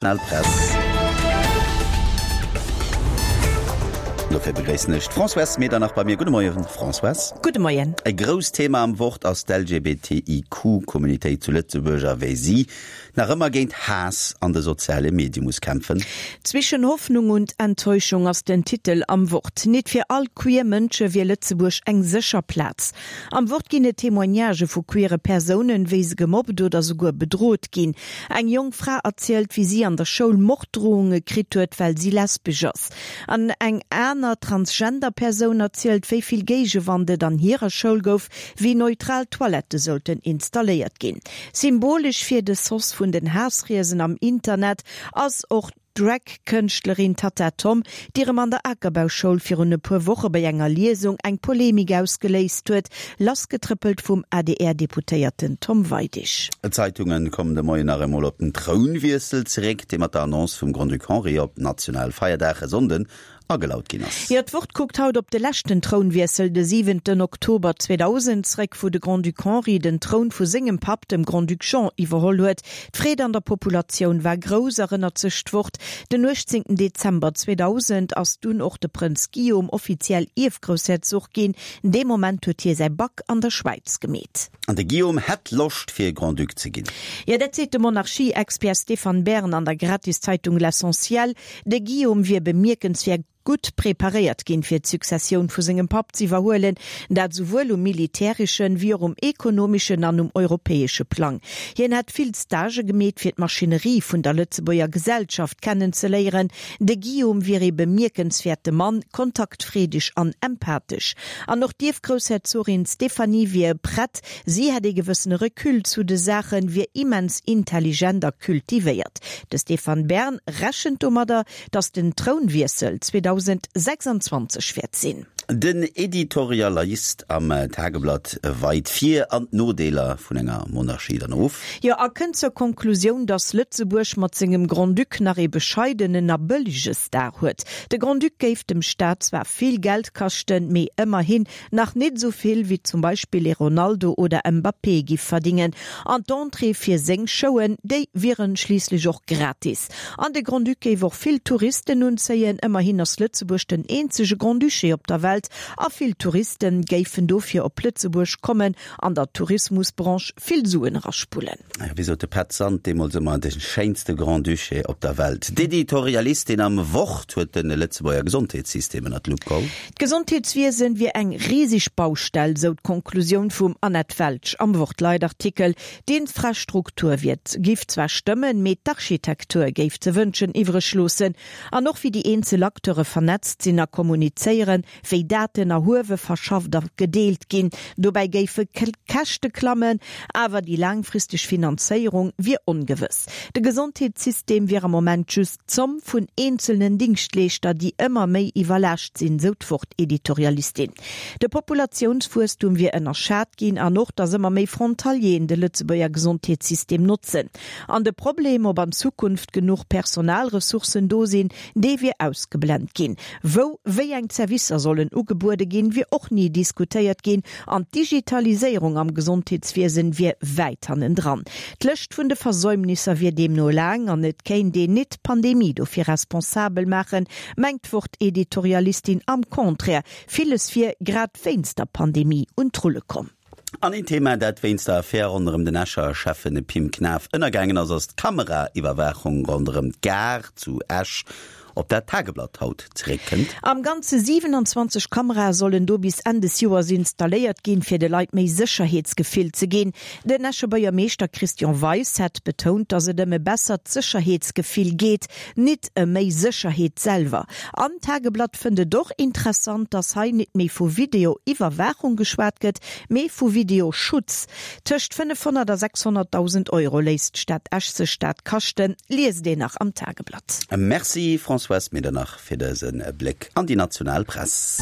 Press. Dofir begréissen ech d'Françoise Medernach bei mir. Gudde Moien, Françoise. Gudde Moien. E grousst Thema am Wort ass d'LGBTIQ-Communautéit zu Lëtzebuerg a wéi si nach ëmmer géint Haass an de soziale Medie muss kämpfen. Zwischen Hoffnung und Enttäuschung ass den Titel am Wort. Nit fir all queer Mënsche wier Lëtzebuerg eng sécher Plaz. Am Wort ginn et Témoignagë vu queere Persounen, wéi se gemobbt oder souguer bedrot ginn. Eng jonk Fra erzielt, wéi si an der Schoul Morddrohunge kritt huet, well si lesbesch ass. An eng aner Transgender Persoun erzielt, wéi vill Géigewand et an hirer Schoul gouf, wéi neutral Toilette sollten installéiert ginn. Symbolesch fir de Sos vun den Haassriesen am Internet ass och D'Drag-Kënschtlerin Tatta Tom, déi erëm an der Akerbauschoul virun e puer Woche bei enger Liesung eng Polemik ausgeléist huet, lassgetrëppelt vum ADR-Deputéierten Tom Weidig. D'Zeitunge kommen de Moien nach emol op den Trounwiessel zeréck, dee mat der Annonce vum Grand-Duc Henri op Nationalfeierdag e Sonnden agelaut ginn ass. Jo, d'Wort kuckt haut op de leschten Trounwiessel, de siwenten Oktober 2000, zréck, wou de Grand-Duc Henri den Troun vu sengem Papp, dem Grand-Duc Jean, iwwerholl huet. D'Freed an der Populatioun war grouss, erënnert sech d'Wort. Den 18 Dezember 2000 ass dunn och de Prënz Guillaume offiziell Ierfgroussherzog ginn. Dee Moment huet hie säi Bac an der Schwäiz gemeet. An de Guillaume hätt Loscht fir Grand-Duc ze ginn. Jo, dat seet de Monarchie-Expert Stéphane Bern an der Gratiszeitung L'Essentiel. De Guillaume wier bemierkenswäert gutt preparéiert ginn, fir d'Successioun vu sengem Papp z'iwwerhuelen, dat esouwuel um militäreschen, wéi och um ekonomeschen an um europäesche Plang. Hien hätt vill Stagë gemeet, fir d'Maschinerie vun der Lëtzebuerger Gesellschaft kennenzeléieren. De Guillaume wier ee bemierkenswäerte Mann, kontaktfreedeg an empathesch. An och d'Ierfgroussherzogin Stéphanie wier prett, si hätt ee gewëssene Recul zu de Saachen, wier immens intelligent a kultivéiert. De Stéphane Bern rechent domadder, datt den Trounwiessel 2026 wäert sinn. Den Editorialist am Tageblatt weit d'Vir an d'Nodeeler vun enger Monarchie dann of. Jo, a kënnt zur Konklusioun, datt Lëtzebuerg mat sengem Grand-Duc nach ee bescheidenen a bëllege Star huet. De Grand-Duc géif dem Staat zwar vill Geld kaschten, mee ëmmerhin Nach nit esou vill wéi zum Beispill ee Ronaldo oder Mbappé giff verdingen. An d'Entrée fir seng Showen, déi wieren schliisslech och gratis. An de Grand-Duc géif och vill Touristen unzéien, ëmmerhin ass Lëtzebuerg den eenzege Grand-Duché op der Welt a vill Touristen géifen dofir op Lëtzebuerg kommen an der Tourismusbranche vill Suen eraspullen. Wéi sot de Pet Sand deemools ëmmer, de schéinste Grand-Duché op der Welt. D'Editorialistin am Wort huet de Lëtzebuerger Gesondheetssystem ënner d'Lupp geholl. D'Gesondheetswiesen wier eng riseg Baustell, sou d'Konklusioun vum Annette Welsch am Wort-Leitartikel. D'Infrastruktur wier giff zwar stëmmen, mee d'Architektur géif ze wënschen iwwreg loossen. An och wéi déi eenzel Acteure vernetzt sinn a kommunizéieren, wéi Daten erhuewe, verschafft a gedeelt ginn. Dobäi géife d'Käschte klammen, awer déi laangfristeg Finanzéierung wier ongewëss. De Gesondheetssystem wier am Moment just d'Zomm vun eenzelnen Dingschtleeschter, déi ëmmer méi iwwerlaascht sinn, sou d'Wort-Editorialistin. De Populatiounswuesstum wier ënnerschat ginn an och, datt ëmmer méi Frontalieren de Lëtzebuerger Gesondheetssystem notzen. An de Problem, ob an Zukunft genuch Personalressourcen do sinn, dee wier ausgeblent ginn. Wou wéi eng Zerwisser sollen ugebuede ginn, wier och ni diskutéiert ginn an d'Digitaliséierung am Gesondheetswiesen wier wäit hannendran. D'Lëscht vun de Versäumnisser wier deemno laang an et kéint een nit d'Pandemie dofir responsabel maachen, mengt d'Wort-Editorialistin. Am Contraire, villes wier grad wéinst der Pandemie un d'Rulle komm. An een Thema, dat wéinst der Affär ronderëm den Escher Schäffen Pim Knaff ënnergaangen ass, ass d'Kameraiwwerwaachung ronderëm d'Gare zu Esch, op dat d'Tageblatt haut zeréckkënnt. Am Ganze 27 Kamerae sollen do bis Enn des Joers installéiert ginn, fir de Leit méi Sécherheetsgefill ze ginn. Den Escher Buergermeeschter Christian Weis hätt betount, datt et ëm e bessert Sécherheetsgefill geet, Nit ëm méi Sécherheet selwer. An d'Tageblatt fënnt et och interessant, dass hei nit méi vu Video-Iwwerwaachung geschwat gëtt, mee vu Video-Schutz. Tëscht 500 a 600.000 Euro léisst d'Stad Esch sech dat kaschten, liest een nach am Tageblatt. Merci Françoise Medernach fir dëse Bléck an déi national Press.